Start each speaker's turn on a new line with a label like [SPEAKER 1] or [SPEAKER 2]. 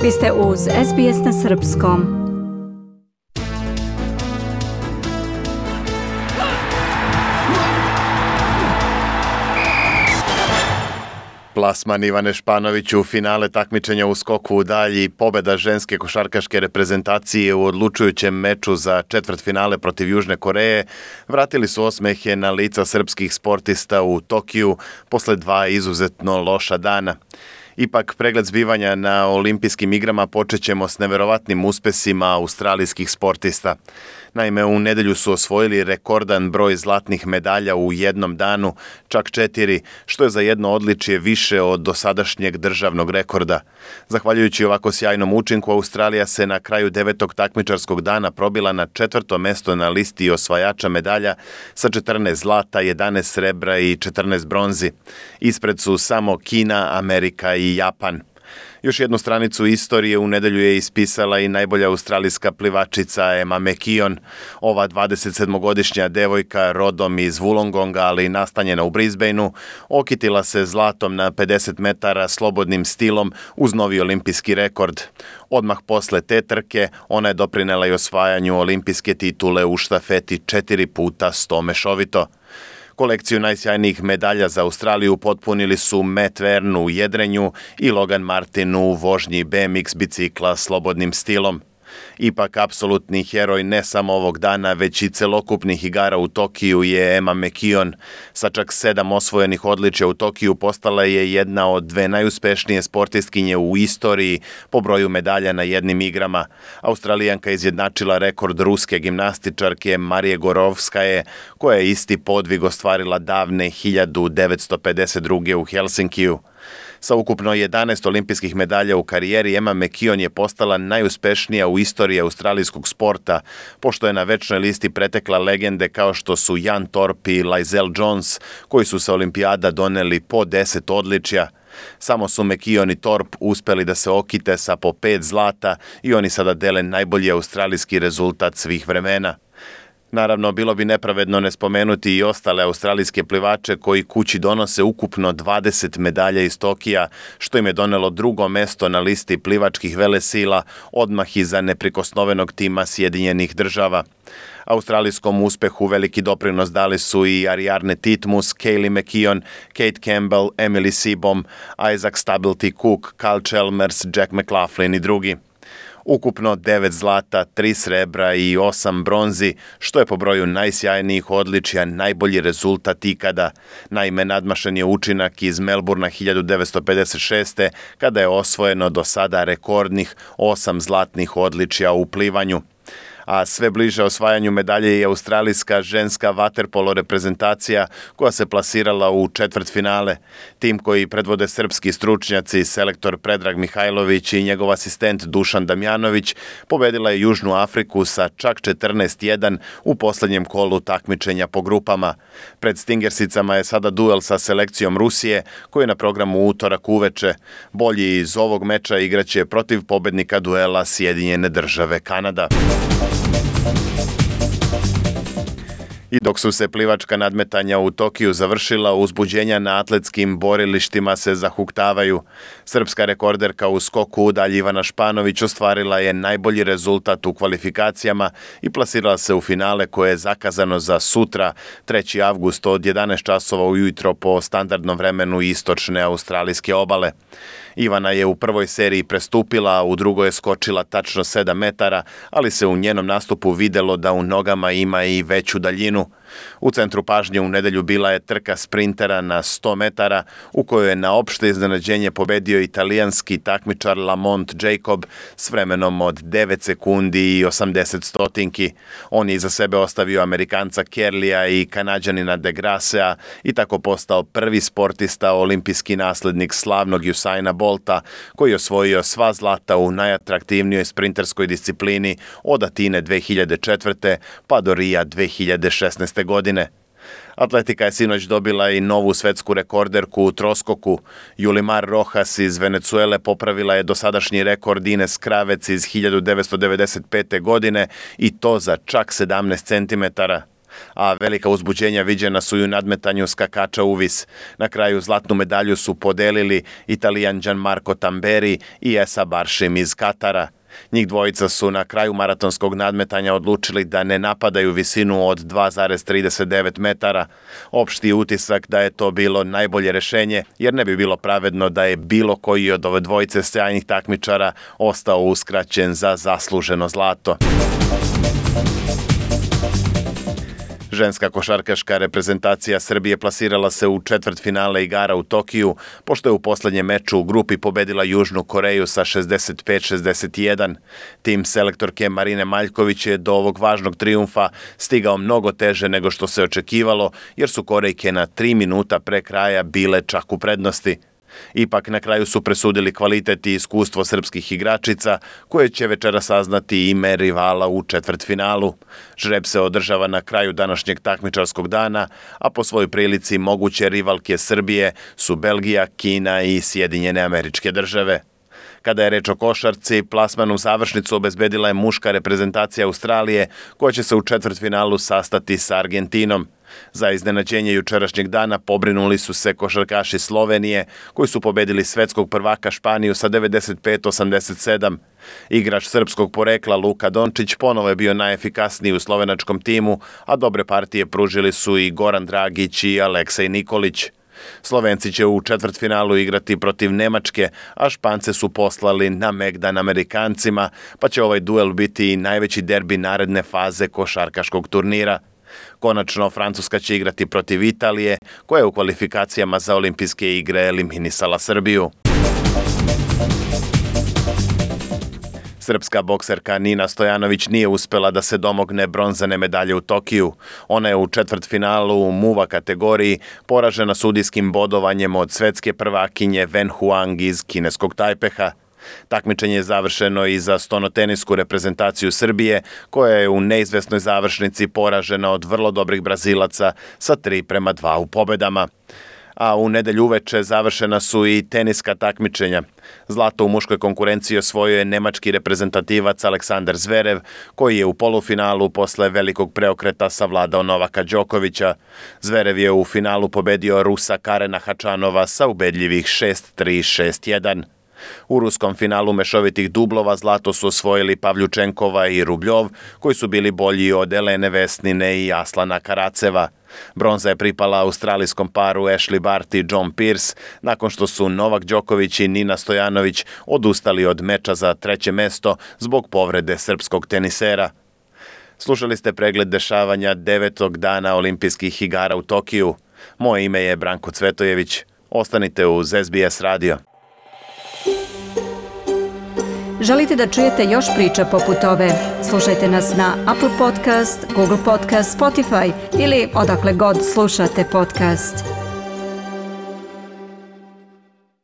[SPEAKER 1] Vi ste uz SBS na Srpskom.
[SPEAKER 2] Plasman Ivane Španović u finale takmičenja u skoku u dalji, pobeda ženske košarkaške reprezentacije u odlučujućem meču za četvrtfinale protiv Južne Koreje vratili su osmehe na lica srpskih sportista u Tokiju posle dva izuzetno loša dana. Ipak, pregled zbivanja na olimpijskim igrama počećemo s neverovatnim uspesima australijskih sportista. Naime, u nedelju su osvojili rekordan broj zlatnih medalja u jednom danu, čak 4, što je za jedno odličje više od dosadašnjeg državnog rekorda. Zahvaljujući ovako sjajnom učinku, Australija se na kraju 9. takmičarskog dana probila na 4. mesto na listi osvajača medalja sa 14 zlata, 11 srebra i 14 bronzi. Ispred su samo Kina, Amerika i Japan. Još jednu stranicu istorije u nedelju je ispisala i najbolja australijska plivačica Emma McKeon. Ova 27-godišnja devojka rodom iz Wollongonga, ali nastanjena u Brisbaneu, okitila se zlatom na 50 metara slobodnim stilom uz novi olimpijski rekord. Odmah posle te trke ona je doprinela i osvajanju olimpijske titule u štafeti 4 puta 100 mešovito. Kolekciju najsjajnijih medalja za Australiju potpunili su Matt Verne u jedrenju i Logan Martin u vožnji BMX bicikla slobodnim stilom. Ipak, apsolutni heroj ne samo ovog dana, već i celokupnih igara u Tokiju je Emma McKeon. Sa čak 7 osvojenih odličja u Tokiju postala je jedna od 2 najuspešnije sportistkinje u istoriji po broju medalja na jednim igrama. Australijanka izjednačila rekord ruske gimnastičarke Marije Gorovskaje, koja je isti podvig ostvarila davne 1952. u Helsinkiju. Sa ukupno 11 olimpijskih medalja u karijeri, Emma McKeon je postala najuspešnija u istoriji australijskog sporta, pošto je na večnoj listi pretekla legende kao što su Jan Thorpe i Lizelle Jones, koji su sa olimpijada doneli po 10 odličja. Samo su McKeon i Thorpe uspeli da se okite sa po 5 zlata i oni sada dele najbolji australijski rezultat svih vremena. Naravno, bilo bi nepravedno ne spomenuti i ostale australijske plivače koji kući donose ukupno 20 medalja iz Tokija, što im je donelo drugo mesto na listi plivačkih velesila, odmah iza neprikosnovenog tima Sjedinjenih Država. Australijskom uspehu veliki doprinos dali su i Ariarne Titmus, Kaylee McKeon, Kate Campbell, Emily Seebohm, Isaac Stability Cook, Cal Chalmers, Jack McLaughlin i drugi. Ukupno 9 zlata, 3 srebra i 8 bronzi, što je po broju najsjajnijih odličja najbolji rezultat ikada. Naime, nadmašen je učinak iz Melbourna 1956. kada je osvojeno do sada rekordnih 8 zlatnih odličja u plivanju. A sve bliže osvajanju medalje je australijska ženska vaterpolo reprezentacija koja se plasirala u četvrtfinale. Tim koji predvode srpski stručnjaci, selektor Predrag Mihajlović i njegov asistent Dušan Damjanović, pobedila je Južnu Afriku sa čak 14:1 u poslednjem kolu takmičenja po grupama. Pred Stingersicama je sada duel sa selekcijom Rusije, koji je na programu utorak uveče. Bolji iz ovog meča igraće protiv pobednika duela Sjedinjene Države Kanada. I dok su se plivačka nadmetanja u Tokiju završila, uzbuđenja na atletskim borilištima se zahuktavaju. Srpska rekorderka u skoku u dalji Ivana Španović ostvarila je najbolji rezultat u kvalifikacijama i plasirala se u finale koje je zakazano za sutra, 3. avgust od 11 časova ujutro po standardnom vremenu istočne australijske obale. Ivana je u prvoj seriji prestupila, a u drugoj je skočila tačno 7 metara, ali se u njenom nastupu videlo da u nogama ima i veću daljinu. U centru pažnje u nedelju bila je trka sprintera na 100 metara, u kojoj je na opšte iznenađenje pobedio italijanski takmičar Lamont Jacob s vremenom od 9 sekundi i 80 stotinki. On je iza sebe ostavio Amerikanca Kerlija i Kanađanina De Grassea i tako postao prvi sportista, olimpijski naslednik slavnog Usaina Bolta, koji je osvojio sva zlata u najatraktivnijoj sprinterskoj disciplini od Atine 2004. pa do Rija 2016. godine. Atletika je sinoć dobila i novu svetsku rekorderku u troskoku. Yulimar Rojas iz Venecuele popravila je dosadašnji rekord Ines Kravec iz 1995. godine i to za čak 17 centimetara. A velika uzbuđenja viđena su i u nadmetanju skakača uvis. Na kraju zlatnu medalju su podelili Italijan Gianmarco Tamberi i Esa Baršim iz Katara. Njih dvojica su na kraju maratonskog nadmetanja odlučili da ne napadaju visinu od 2,39 metara. Opšti utisak da je to bilo najbolje rešenje, jer ne bi bilo pravedno da je bilo koji od ove dvojice sjajnih takmičara ostao uskraćen za zasluženo zlato. Ženska košarkaška reprezentacija Srbije plasirala se u četvrtfinale igara u Tokiju, pošto je u poslednjem meču u grupi pobedila Južnu Koreju sa 65-61. Tim selektorke Marine Maljković je do ovog važnog trijumfa stigao mnogo teže nego što se očekivalo, jer su Korejke na 3 minuta pre kraja bile čak u prednosti. Ipak na kraju su presudili kvalitet i iskustvo srpskih igračica, koje će večera saznati ime rivala u četvrtfinalu. Žreb se održava na kraju današnjeg takmičarskog dana, a po svojoj prilici moguće rivalke Srbije su Belgija, Kina i Sjedinjene Američke Države. Kada je reč o košarci, plasmanu završnicu obezbedila je muška reprezentacija Australije, koja će se u četvrtfinalu sastati sa Argentinom. Za iznenađenje jučerašnjeg dana pobrinuli su se košarkaši Slovenije, koji su pobedili svetskog prvaka Španiju sa 95-87. Igrač srpskog porekla Luka Dončić ponovo je bio najefikasniji u slovenačkom timu, a dobre partije pružili su i Goran Dragić i Aleksej Nikolić. Slovenci će u četvrtfinalu igrati protiv Nemačke, a Špance su poslali na megdan Amerikancima, pa će ovaj duel biti i najveći derbi naredne faze košarkaškog turnira. Konačno, Francuska će igrati protiv Italije, koja je u kvalifikacijama za olimpijske igre eliminisala Srbiju. Srpska bokserka Nina Stojanović nije uspela da se domogne bronzane medalje u Tokiju. Ona je u četvrtfinalu u muva kategoriji poražena sudijskim bodovanjem od svetske prvakinje Wen Huang iz kineskog Tajpeha. Takmičenje je završeno i za stonotenisku reprezentaciju Srbije, koja je u neizvesnoj završnici poražena od vrlo dobrih Brazilaca sa 3:2 u pobedama. A u nedelju uveče završena su i teniska takmičenja. Zlato u muškoj konkurenciji osvojio je nemački reprezentativac Aleksandar Zverev, koji je u polufinalu posle velikog preokreta savladao Novaka Đokovića. Zverev je u finalu pobedio Rusa Karena Hačanova sa ubedljivih 6-3, 6-1. U ruskom finalu mešovitih dublova zlato su osvojili Pavljučenkova i Rubljov, koji su bili bolji od Elene Vesnine i Aslana Karaceva. Bronza je pripala australijskom paru Ashley Barty i John Pearce, nakon što su Novak Đoković i Nina Stojanović odustali od meča za 3. mesto zbog povrede srpskog tenisera. Slušali ste pregled dešavanja 9. dana olimpijskih igara u Tokiju. Moje ime je Branko Cvetojević. Ostanite uz SBS radio.
[SPEAKER 1] Želite da čujete još priča poput ove? Slušajte nas na Apple Podcast, Google Podcast, Spotify ili odakle god slušate podcast.